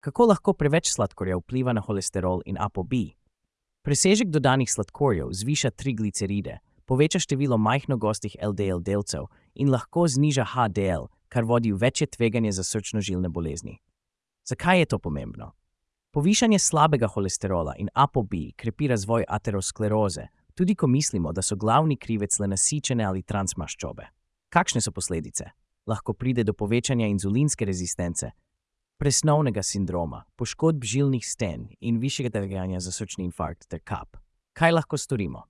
Kako lahko preveč sladkorja vpliva na holesterol in ApoB? Presežek dodanih sladkorjev zviša trigliceride, poveča število majhno gostih LDL delcev in lahko zniža HDL, kar vodi v večje tveganje za srčno-žilne bolezni. Zakaj je to pomembno? Povišanje slabega holesterola in ApoB krepi razvoj ateroskleroze, tudi ko mislimo, da so glavni krivec le nasičene ali transmaščobe. Kakšne so posledice? Lahko pride do povečanja inzulinske rezistence, presnovnega sindroma, poškodb žilnih sten in višjega tveganja za srčni infarkt ter kap. Kaj lahko storimo?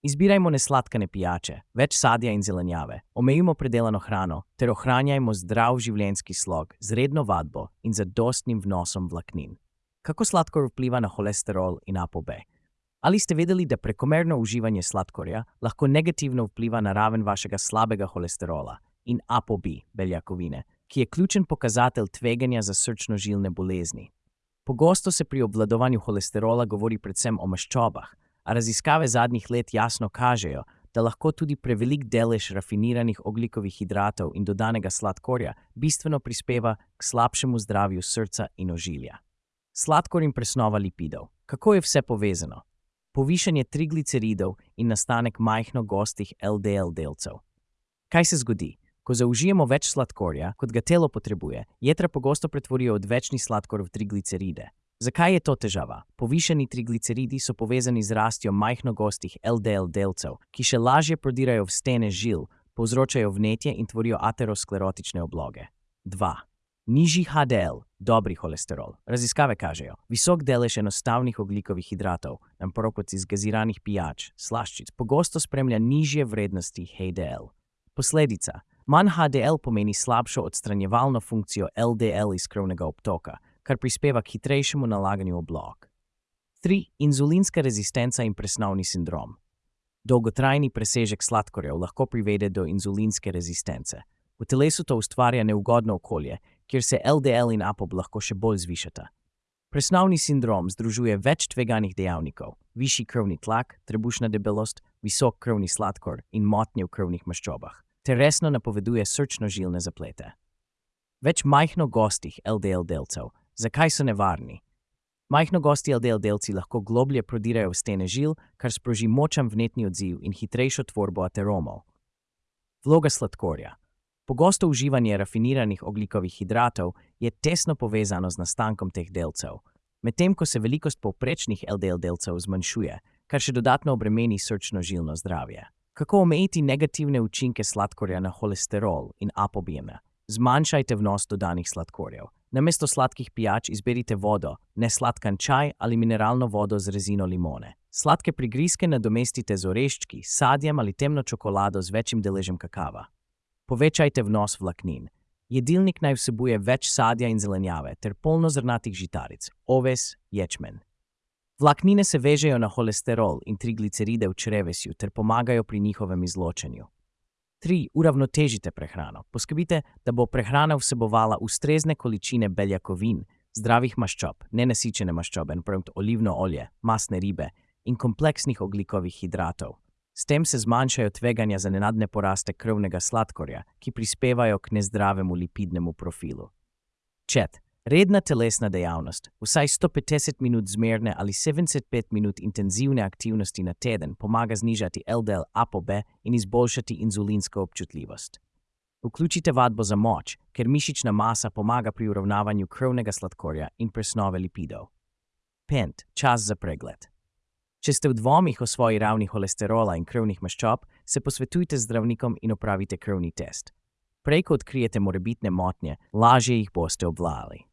Izbirajmo nesladkane pijače, več sadja in zelenjave, omejimo predelano hrano ter ohranjajmo zdrav življenjski slog z redno vadbo in zadostnim vnosom vlaknin. Kako sladkor vpliva na holesterol in ApoB? Ali ste vedeli, da prekomerno uživanje sladkorja lahko negativno vpliva na raven vašega slabega holesterola in ApoB beljakovine, ki je ključen pokazatelj tveganja za srčno-žilne bolezni? Pogosto se pri obvladovanju holesterola govori predvsem o maščobah, a raziskave zadnjih let jasno kažejo, da lahko tudi prevelik delež rafiniranih ogljikovih hidratov in dodanega sladkorja bistveno prispeva k slabšemu zdravju srca in ožilja. Sladkor in presnova lipidov. Kako je vse povezano? Povišanje trigliceridov in nastanek majhno gostih LDL delcev. Kaj se zgodi? Ko zaužijemo več sladkorja, kot ga telo potrebuje, jetra pogosto pretvorijo odvečni sladkor v trigliceride. Zakaj je to težava? Povišani trigliceridi so povezani z rastjo majhno gostih LDL delcev, ki še lažje prodirajo v stene žil, povzročajo vnetje in tvorijo aterosklerotične obloge. 2. Nižji HDL, dobri holesterol. Raziskave kažejo, visok delež enostavnih ogljikovih hidratov, naproti iz gaziranih pijač, slaščic, pogosto spremlja nižje vrednosti HDL. Posledica. Manj HDL pomeni slabšo odstranjevalno funkcijo LDL iz krvnega obtoka, kar prispeva k hitrejšemu nalaganju oblog. 3. Inzulinska rezistenca in presnovni sindrom. Dolgotrajni presežek sladkorjev lahko privede do inzulinske rezistence. V telesu to ustvarja neugodno okolje, kjer se LDL in ApoB lahko še bolj zvišata. Presnovni sindrom združuje več tveganih dejavnikov, višji krvni tlak, trebušna debelost, visok krvni sladkor in motnje v krvnih maščobah, ter resno napoveduje srčno-žilne zaplete. Več majhno gostih LDL delcev. Zakaj so nevarni? Majhno gosti LDL delci lahko globlje prodirajo v stene žil, kar sproži močan vnetni odziv in hitrejšo tvorbo ateromov. Vloga sladkorja. Pogosto uživanje rafiniranih ogljikovih hidratov je tesno povezano z nastankom teh delcev, medtem ko se velikost povprečnih LDL delcev zmanjšuje, kar še dodatno obremeni srčno-žilno zdravje. Kako omejiti negativne učinke sladkorja na holesterol in ApoB? Zmanjšajte vnos dodanih sladkorjev. Namesto sladkih pijač izberite vodo, nesladkan čaj ali mineralno vodo z rezino limone. Sladke prigrizke nadomestite z oreščki, sadjem ali temno čokolado z večjim deležem kakava. Povečajte vnos vlaknin. Jedilnik naj vsebuje več sadja in zelenjave ter polnozrnatih žitaric, oves, ječmen. Vlaknine se vežejo na holesterol in trigliceride v črevesju ter pomagajo pri njihovem izločanju. 3. Uravnotežite prehrano. Poskrbite, da bo prehrana vsebovala ustrezne količine beljakovin, zdravih maščob, nenasičene maščobe, naprimer olivno olje, mastne ribe in kompleksnih ogljikovih hidratov. S tem se zmanjšajo tveganja za nenadne poraste krvnega sladkorja, ki prispevajo k nezdravemu lipidnemu profilu. 4. Redna telesna dejavnost. Vsaj 150 minut zmerne ali 75 minut intenzivne aktivnosti na teden pomaga znižati LDL ApoB in izboljšati inzulinsko občutljivost. Vključite vadbo za moč, ker mišična masa pomaga pri uravnavanju krvnega sladkorja in presnove lipidov. 5. Čas za pregled. Če ste v dvomih o svoji ravni holesterola in krvnih maščob, se posvetujte z zdravnikom in opravite krvni test. Prej ko odkrijete morebitne motnje, lažje jih boste obvladali.